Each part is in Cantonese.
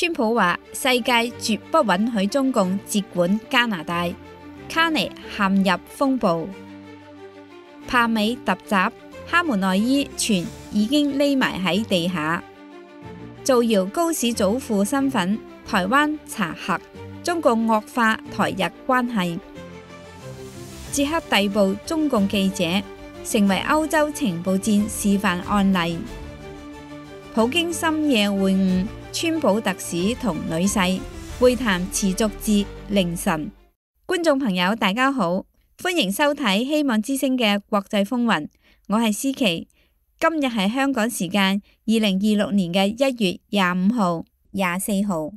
川普話世界絕不允許中共接管加拿大，卡尼陷入風暴。帕美突襲，哈門內伊傳已經匿埋喺地下。造謠高市祖父身份，台灣查核，中共惡化台日關係。捷克逮捕中共記者，成為歐洲情報戰示範案例。普京深夜會晤川普特使同女婿，會談持續至凌晨。觀眾朋友大家好，歡迎收睇希望之聲嘅國際風雲，我係思琪。今日係香港時間2026年嘅1月25號、24號。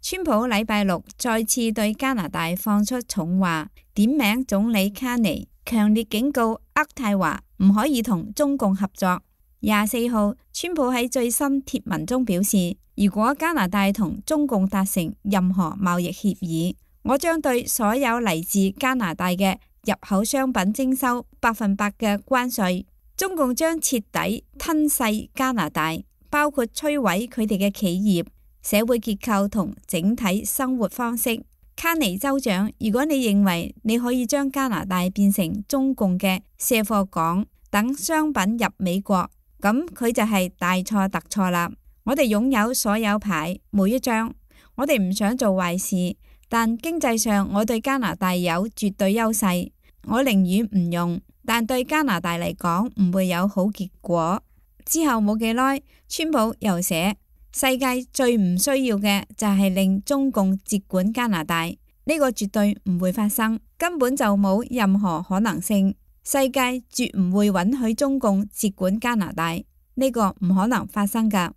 川普禮拜六再次對加拿大放出重話，點名總理卡尼，強烈警告渥太華唔可以同中共合作。24號，川普喺最新貼文中表示，如果加拿大同中共達成任何貿易協議，我將對所有嚟自加拿大嘅入口商品徵收100%嘅關稅。中共將徹底吞噬加拿大，包括摧毀佢哋嘅企業、社會結構同整體生活方式。卡尼州長，如果你認為你可以將加拿大變成中共嘅卸貨港，等商品入美國，咁佢就係大錯特錯啦。我哋擁有所有牌，每一張。我哋唔想做壞事，但經濟上我對加拿大有絕對優勢。我寧願唔用，但對加拿大嚟講唔會有好結果。之後冇幾耐，川普又寫，世界最唔需要嘅就係令中共接管加拿大，呢個絕對唔會發生，根本就冇任何可能性。世界絕唔會允許中共接管加拿大，呢個唔可能發生㗎。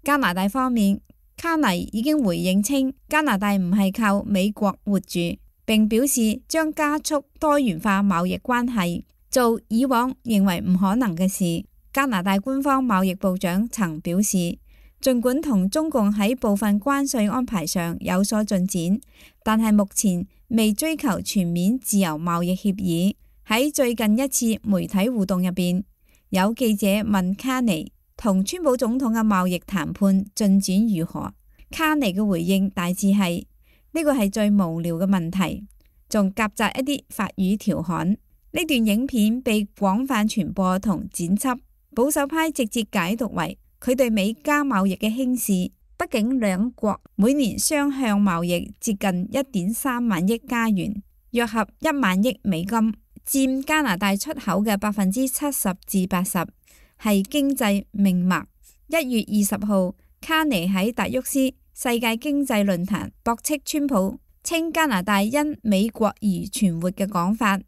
加拿大方面，卡尼已經回應稱，加拿大唔係靠美國活住，並表示將加速多元化貿易關係，做以往認為唔可能嘅事。加拿大官方貿易部長曾表示，儘管同中共喺部分關稅安排上有所進展，但係目前未追求全面自由貿易協議。喺最近一次媒體互動入邊，有記者問卡尼同川普總統嘅貿易談判進展如何？卡尼嘅回應大致係，呢個係最無聊嘅問題，仲夾雜一啲法語調侃。呢段影片被廣泛傳播同剪輯，保守派直接解讀為佢對美加貿易嘅輕視。畢竟兩國每年雙向貿易接近1.3萬億加元，約合1萬億美金，佔加拿大出口嘅70%至80%，係經濟命脈。1月20號，卡尼喺達沃斯世界經濟論壇駁斥川普，稱加拿大因美國而存活嘅講法，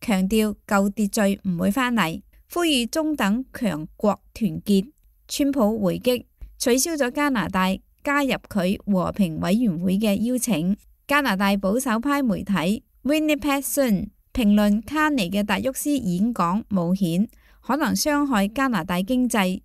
強調舊秩序唔會返嚟，呼籲中等強國團結。川普回擊，取消咗加拿大加入佢和平委員會嘅邀請。加拿大保守派媒體 Winnipeg Sun 評論卡尼嘅達沃斯演講冒險，可能傷害加拿大經濟。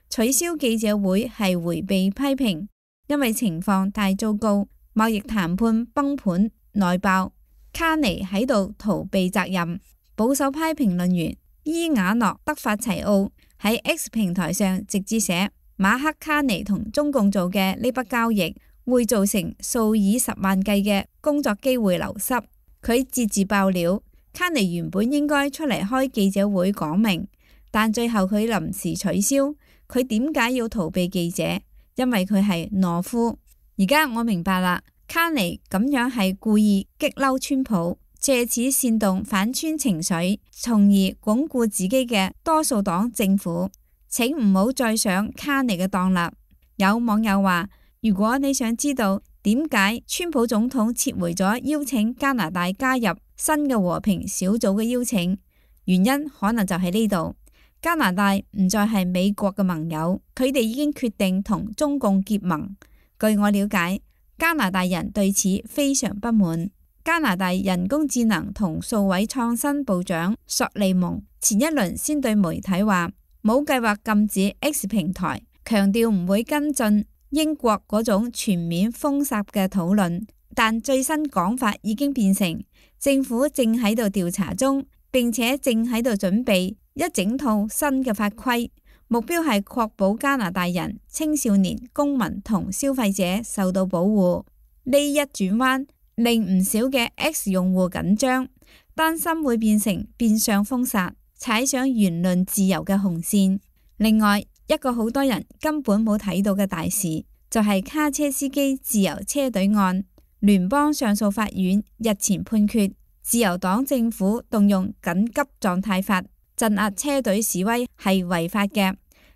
取消記者會係迴避批評，因為情況太糟糕，貿易談判崩盤內爆，卡尼喺度逃避責任。保守派評論員伊瓦諾德法齊奧喺 X 平台上直接寫，馬克卡尼同中共做嘅呢筆交易會造成數以10萬計嘅工作機會流失。佢截自爆料，卡尼原本應該出嚟開記者會講明，但最後佢臨時取消。佢點解要逃避記者？因為佢係懦夫。而家我明白啦，卡尼咁樣係故意激嬲川普，借此煽動反川情緒，從而鞏固自己嘅多數黨政府。請唔好再上卡尼嘅當啦。有網友話，如果你想知道點解川普總統撤回咗邀請加拿大加入新嘅和平小組嘅邀請，原因可能就喺呢度。加拿大唔再係美國嘅盟友，佢哋已經決定同中共結盟。據我了解，加拿大人對此非常不滿。加拿大人工智能同數位創新部長索利蒙前一輪先對媒體話，冇計劃禁止 X 平台，強調唔會跟進英國嗰種全面封殺嘅討論。但最新講法已經變成政府正喺度調查中，並且正喺度準備一整套新嘅法規，目標係確保加拿大人、青少年、公民同消費者受到保護。呢一轉彎令唔少嘅 X 用戶緊張，擔心會變成變相封殺，踩上言論自由嘅紅線。另外，一個好多人根本冇睇到嘅大事，就係卡車司機自由車隊案。聯邦上訴法院日前判決，自由黨政府動用緊急狀態法鎮壓車隊示威係違法嘅，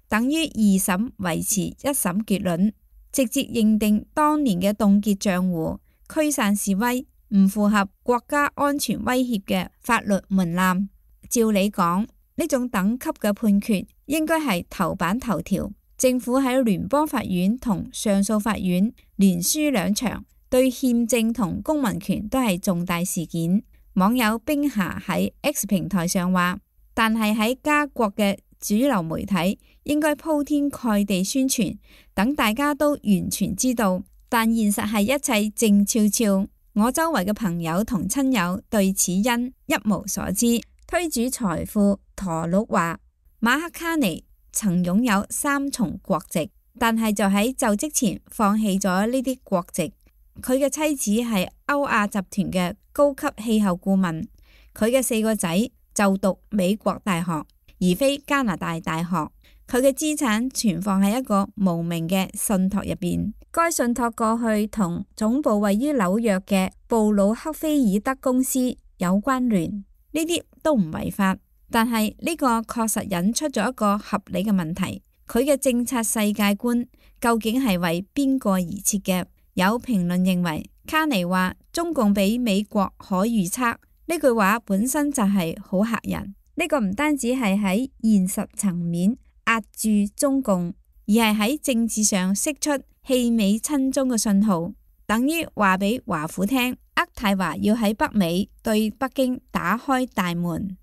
等於二審維持一審結論，直接認定當年嘅凍結賬戶、驅散示威唔符合國家安全威脅嘅法律門檻。照理講，呢種等級嘅判決應該係頭版頭條。政府喺聯邦法院同上訴法院連輸兩場，對憲政同公民權都係重大事件。網友冰霞喺 X 平台上話，但係喺加國嘅主流媒體應該鋪天蓋地宣傳，等大家都完全知道。但現實係一切靜悄悄。我周圍嘅朋友同親友對此因一無所知。推主財富陀鹿話，馬克卡尼曾擁有3重國籍，但係就喺就職前放棄咗呢啲國籍。佢嘅妻子係歐亞集團嘅高級氣候顧問，佢嘅4個仔就讀美國大學，而非加拿大大學。佢嘅資產存放喺一個無名嘅信託入邊，該信託過去同總部位於紐約嘅布魯克菲爾德公司有關聯，呢啲都唔違法。但係呢個確實引出咗一個合理嘅問題，佢嘅政策世界觀究竟係為邊個而設嘅？有評論認為，卡尼話中共比美國可預測，呢句話本身就係好嚇人。呢個唔單止係喺現實層面壓住中共，而係喺政治上釋出棄美親中嘅信號，等於話俾華府聽，渥太華要喺北美對北京打開大門。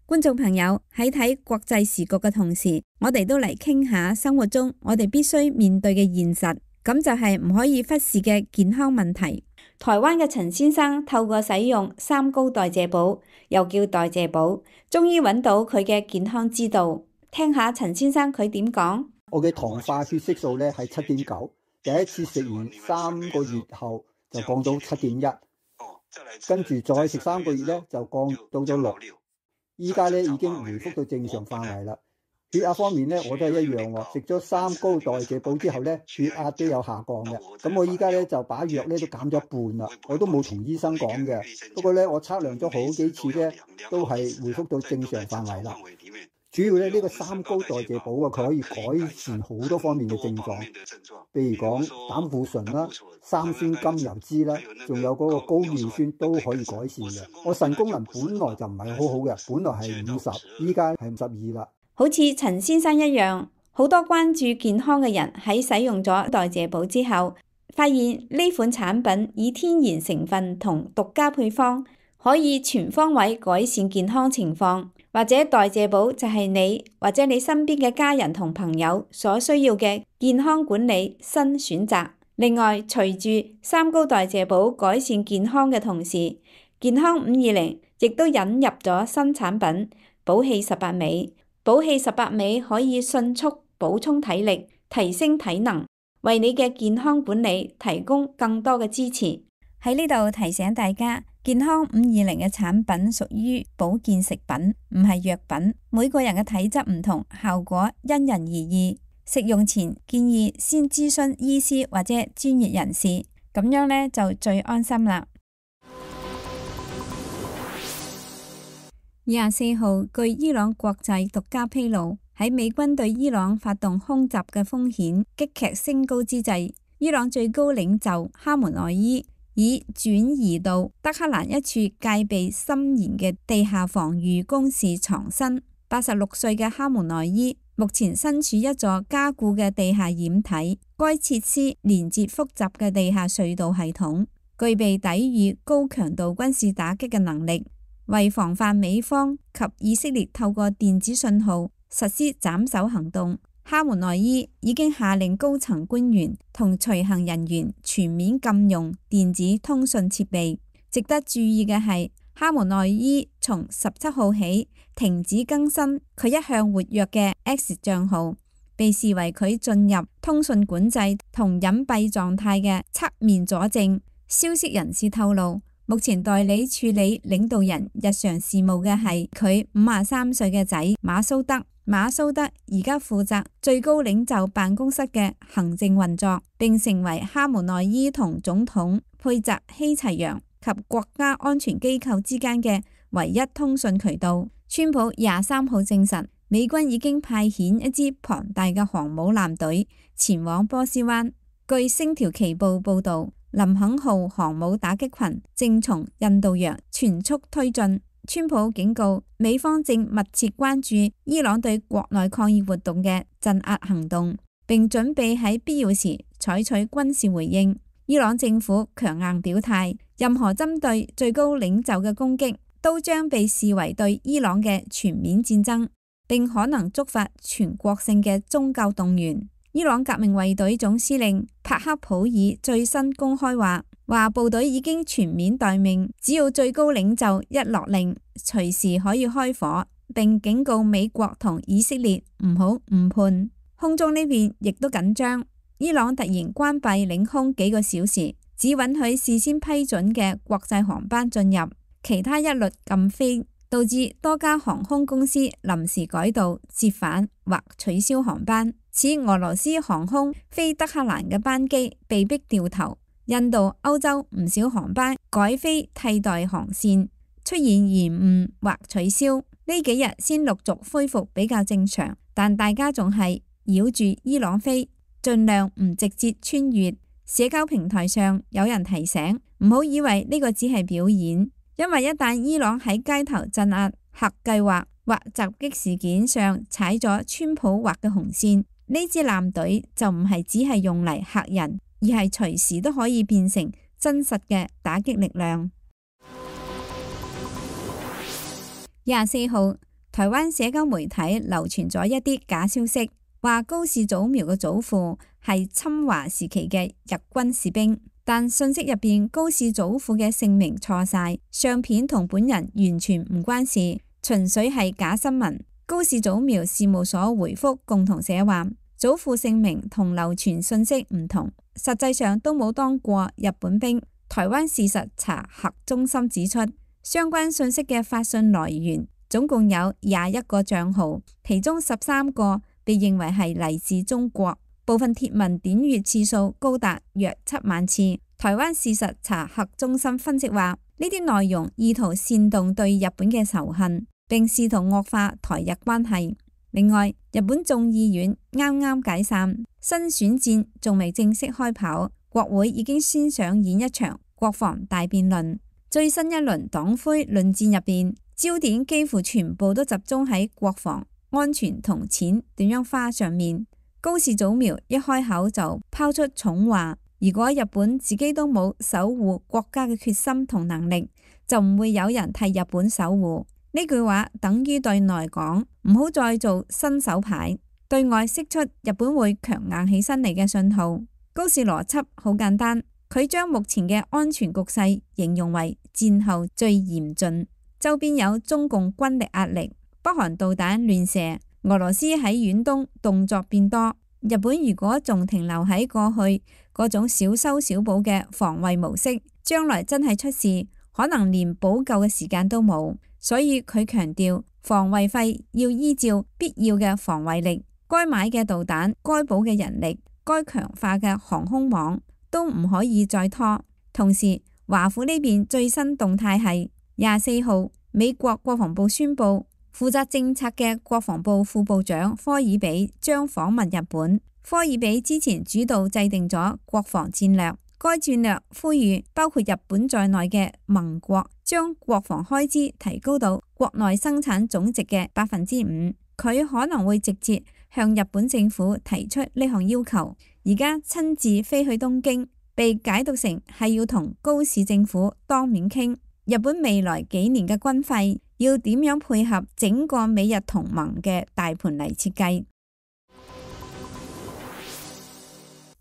觀眾朋友，喺睇國際時局嘅同時，我哋都嚟傾下生活中我哋必須面對嘅現實。咁就係唔可以忽視嘅健康問題。台灣嘅陳先生透過使用3高代謝寶，又叫代謝寶，終於揾到佢嘅健康之道。聽下陳先生佢點講。我嘅糖化血色素咧係7.9，第一次食完3個月後就降到7.1，跟住再食3個月咧就降到咗6，依家咧已經回復到正常範圍啦。血壓方面咧，我都係一樣喎。食咗3高代謝寶之後咧，血壓都有下降嘅。咁我依家咧就把藥咧都減咗一半啦。我都冇同醫生講嘅。不過咧，我測量咗好幾次咧，都係回復到正常範圍啦。主要咧呢個3高代謝寶啊，佢可以改善好多方面嘅症狀，譬如講膽固醇啦、三酸甘油酯啦，仲有嗰個高尿酸都可以改善嘅。我腎功能本來就唔係好好嘅，本來係50，依家係52啦。好似陳先生一樣，好多關注健康嘅人喺使用咗代謝寶之後，發現呢款產品以天然成分同獨家配方，可以全方位改善健康情況。或者代謝寶就係你或者你身邊嘅家人同朋友所需要嘅健康管理新選擇。另外，隨住3高代謝寶改善健康嘅同時，健康520亦都引入咗新產品寶氣18味。寶氣18味可以迅速補充體力，提升體能，為你嘅健康管理提供更多嘅支持。喺呢度提醒大家，健康520嘅產品屬於保健食品，唔係藥品。每個人嘅體質唔同，效果因人而異。食用前建議先諮詢醫師或者專業人士，咁樣呢就最安心啦。24號，據伊朗國際獨家披露，喺美軍對伊朗發動空襲嘅風險急劇升高之際，伊朗最高領袖哈梅內伊已轉移到德黑蘭一處戒備森嚴嘅地下防禦工事藏身。86歲嘅哈梅內伊目前身處一座加固嘅地下掩體，該設施連接複雜嘅地下隧道系統，具備抵禦高強度軍事打擊嘅能力。為防範美方及以色列透過電子信號實施斬首行動，哈梅內伊已經下令高層官員同隨行人員全面禁用電子通訊設備。值得注意嘅係，哈梅內伊從17號起停止更新佢一向活躍嘅 X 帳號，被視為佢進入通訊管制同隱蔽狀態嘅側面佐證。消息人士透露，目前代理處理領導人日常事務嘅係佢53歲嘅仔馬蘇德。馬蘇德而家負責最高領袖辦公室嘅行政運作，並成為哈梅內伊同總統佩澤希齊揚及國家安全機構之間嘅唯一通訊渠道。川普23號證實，美軍已經派遣一支龐大嘅航母艦隊前往波斯灣。據星條旗報報道，林肯號航母打擊群正從印度洋全速推進。川普警告，美方正密切關注伊朗對國內抗議活動嘅鎮壓行動，並準備喺必要時採取軍事回應。伊朗政府強硬表態，任何針對最高領袖嘅攻擊都將被視為對伊朗嘅全面戰爭，並可能觸發全國性嘅宗教動員。伊朗革命衛隊總司令帕克普爾最新公開話部隊已經全面待命，只要最高領袖一落令，隨時可以開火，並警告美國同以色列唔好誤判。空中呢邊亦都緊張，伊朗突然關閉領空幾個小時，只允許事先批准嘅國際航班進入，其他一律禁飛，導致多家航空公司臨時改道、折返或取消航班。此俄羅斯航空飛德黑蘭嘅班機被迫掉頭，印度、歐洲唔少航班改飛替代航線，出現延誤或取消。呢幾日先陸續恢復比較正常，但大家仲係繞住伊朗飛，盡量唔直接穿越。社交平台上有人提醒，唔好以為呢個只係表演，因為一旦伊朗喺街頭鎮壓、核計劃或襲擊事件上踩咗川普畫嘅紅線，呢支艦隊就唔係只係用嚟嚇人，而係隨時都可以變成真實嘅打擊力量。24號，台灣社交媒體流傳咗一啲假消息，話高市早苗嘅祖父係侵華時期嘅日軍士兵，但信息入邊高市祖父嘅姓名錯晒，相片同本人完全唔關事，純粹係假新聞。高市早苗事務所回覆共同社話，祖父姓名同流傳信息唔同，實際上都冇當過日本兵。台灣事實查核中心指出，相關信息嘅發信來源總共有21個賬號，其中13個被認為係嚟自中國，部分貼文點閱次數高達約7萬次。台灣事實查核中心分析話，呢啲內容意圖煽動對日本嘅仇恨，並試圖惡化台日關係。另外，日本眾議院啱啱解散，新選戰仲未正式開跑，國會已經先上演一場國防大辯論。最新一輪黨魁論戰入邊，焦點幾乎全部都集中喺國防安全同錢點樣花上面。高市早苗一開口就拋出重話，如果日本自己都冇守護國家嘅決心同能力，就唔會有人替日本守護。呢句話等於對內講，唔好再做新手牌，對外釋出日本會強硬起身嚟嘅信號。高市邏輯好簡單，佢將目前嘅安全局勢形容為戰後最嚴峻，周邊有中共軍力壓力，北韓導彈亂射，俄羅斯喺遠東動作變多。日本如果仲停留喺過去嗰種小修小補嘅防衛模式，將來真係出事，可能連補救嘅時間都冇。所以佢強調，防衛費要依照必要嘅防衛力，該買嘅導彈、該補嘅人力、該強化嘅航空網都唔可以再拖。同時，華府呢邊最新動態係24號，美國國防部宣布，負責政策嘅國防部副部長科爾比將訪問日本。科爾比之前主導制定咗國防戰略，該戰略呼籲包括日本在內嘅盟國將國防開支提高到國內生產總值嘅5%。佢可能會直接向日本政府提出呢項要求。而家親自飛去東京，被解讀成係要同高市政府當面傾日本未來幾年嘅軍費要點樣配合整個美日同盟嘅大盤嚟設計。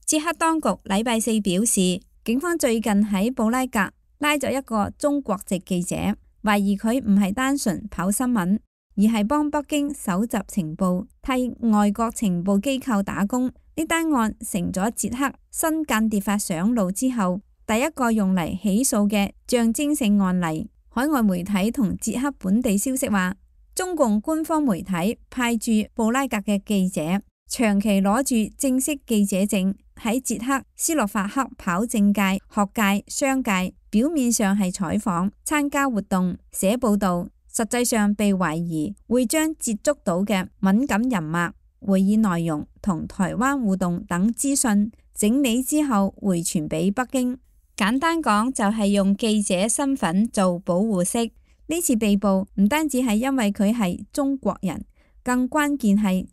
捷克當局禮拜四表示，警方最近喺布拉格拉咗一個中國籍記者，懷疑佢唔係單純跑新聞，而係幫北京搜集情報，替外國情報機構打工。呢單案成咗捷克新間諜法上路之後第一個用嚟起訴嘅象徵性案例。海外媒體同捷克本地消息話，中共官方媒體派駐布拉格嘅記者長期攞住正式記者證喺捷克斯洛伐克跑政界、學界、商界，表面上係採訪、參加活動、寫報道，實際上被懷疑會將接觸到嘅敏感人物、會議內容同台灣互動等資訊整理之後回傳俾北京。簡單講就係用記者身份做保護色。呢次被捕唔單止係因為佢係中國人，更關鍵係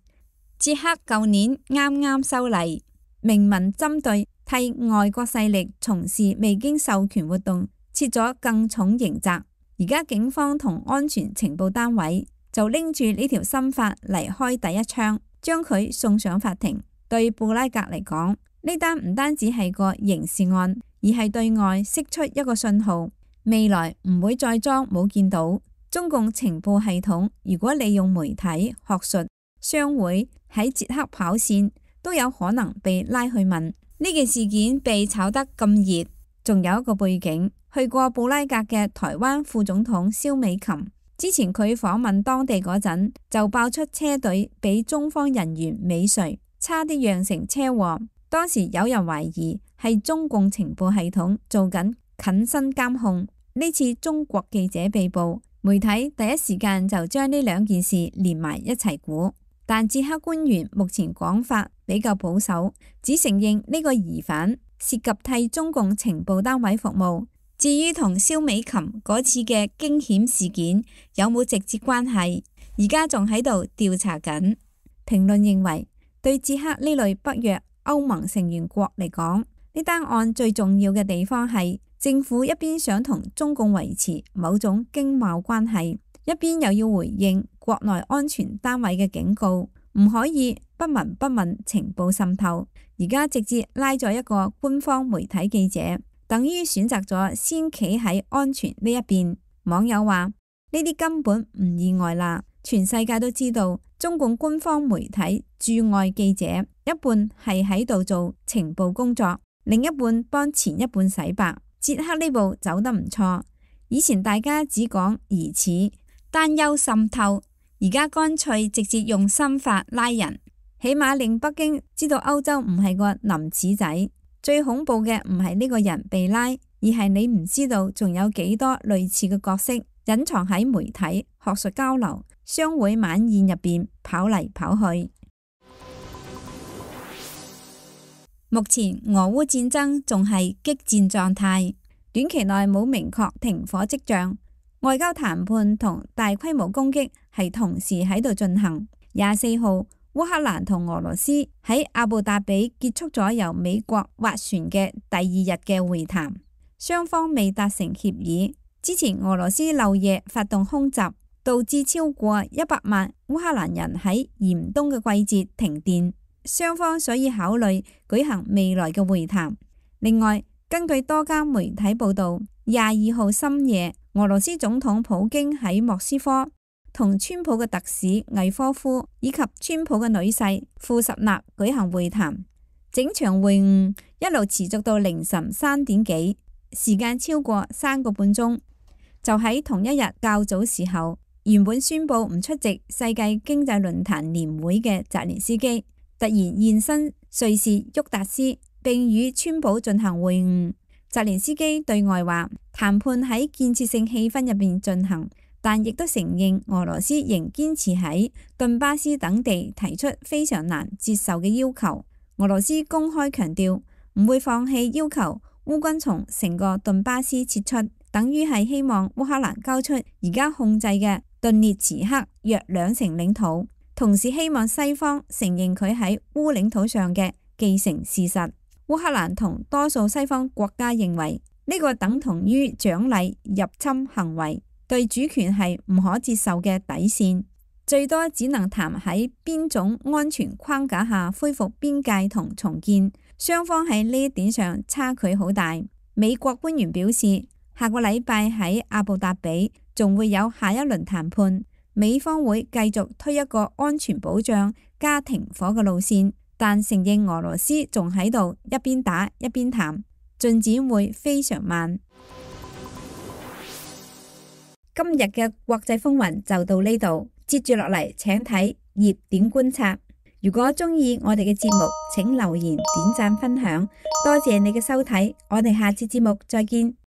捷克舊年啱啱修例，明文針對替外國勢力從事未經授權活動設咗更重刑責。而家警方同安全情報單位就拎住呢條新法嚟開第一槍，將佢送上法庭。對布拉格嚟講，呢單唔單止係個刑事案，而係對外釋出一個信號，未來唔會再裝冇見到。中共情報系統如果利用媒體、學術、商會喺捷克跑線，都有可能被拉去問。呢件事件被炒得咁熱，仲有一個背景。去過布拉格嘅台灣副總統蕭美琴，之前佢訪問當地嗰陣，就爆出車隊俾中方人員尾隨，差啲釀成車禍。當時有人懷疑係中共情報系統做緊近身監控。呢次中國記者被捕，媒體第一時間就將呢兩件事連埋一齊估。但捷克官員目前講法比較保守，只承認呢個疑犯涉及替中共情報單位服務。至於同蕭美琴嗰次嘅驚險事件有冇直接關係，而家仲喺度調查緊。評論認為，對捷克呢類北約歐盟成員國嚟講，呢單案最重要嘅地方係政府一邊想同中共維持某種經貿關係，一邊又要回應國內安全單位嘅警告，唔可以不聞不問情報滲透。而家直接拉咗一個官方媒體記者，等於選擇咗先企喺安全呢一邊。網友話：呢啲根本唔意外啦，全世界都知道中共官方媒體駐外記者一半係喺度做情報工作，另一半幫前一半洗白。捷克呢步走得唔錯，以前大家只講疑似、擔憂滲透，而家乾脆直接用新法拉人，起碼令北京知道歐洲唔係個林子仔。最恐怖嘅唔係呢個人被拉，而係你唔知道仲有幾多類似嘅角色隱藏喺媒體、學術交流、商會晚宴入邊跑嚟跑去。目前俄烏戰爭仲係激戰狀態，短期內冇明確停火跡象，外交談判同大規模攻擊係同時喺度進行。24號，烏克蘭同俄羅斯喺阿布達比結束咗由美國斡旋嘅第二日嘅會談，雙方未達成協議。之前俄羅斯漏夜發動空襲，導致超過100萬烏克蘭人喺嚴冬嘅季節停電，雙方所以考慮舉行未來嘅會談。另外，根據多家媒體報道，22號深夜，俄羅斯總統普京喺莫斯科同川普嘅特使魏科夫以及川普嘅女婿庫什納舉行會談，整場會晤一路持續到凌晨3點幾，時間超過3個半鐘。就喺同一日較早時候，原本宣布唔出席世界經濟論壇年會嘅澤連斯基突然現身瑞士沃達斯，並與川普進行會晤。澤連斯基對外話，談判喺建設性氣氛入邊進行，但亦都承認俄羅斯仍堅持喺頓巴斯等地提出非常難接受嘅要求。俄羅斯公開強調唔會放棄要求烏軍從成個頓巴斯撤出，等於係希望烏克蘭交出而家控制嘅頓涅茨克約2成領土，同時希望西方承認佢喺烏領土上嘅既成事實。烏克蘭同多數西方國家認為呢個等同於獎勵入侵行為，對主權係唔可接受嘅底線，最多只能談喺邊種安全框架下恢復邊界同重建。雙方喺呢一點上差距好大。美國官員表示，下個禮拜喺阿布達比仲會有下一輪談判。美方會繼續推一個安全保障加停火嘅路線，但承認俄羅斯仲喺度一邊打一邊談，進展會非常慢。今日嘅國際風雲就到呢度，接住落嚟請睇熱點觀察。如果鍾意我哋嘅節目，請留言、點讚、分享，多謝你嘅收睇，我哋下次節目再見。